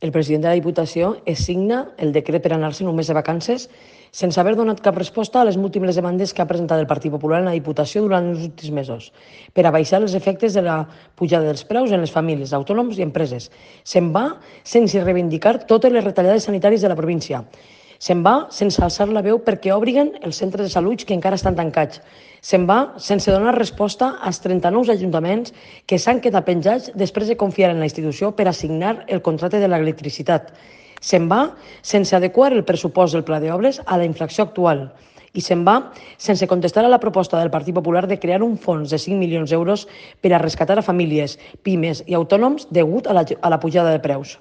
El president de la Diputació signa el decret per anar-se un mes de vacances sense haver donat cap resposta a les múltiples demandes que ha presentat el Partit Popular en la Diputació durant els últims mesos per abaixar els efectes de la pujada dels preus en les famílies, autònoms i empreses. Se'n va sense reivindicar totes les retallades sanitàries de la província. Se'n va sense alçar la veu perquè obriguen els centres de salut que encara estan tancats. Se'n va sense donar resposta als 39 ajuntaments que s'han quedat penjats després de confiar en la institució per assignar el contracte de l'electricitat. Se'n va sense adequar el pressupost del pla d'obres a la inflació actual. I se'n va sense contestar a la proposta del Partit Popular de crear un fons de 5 milions d'euros per a rescatar a famílies, pimes i autònoms degut a la pujada de preus.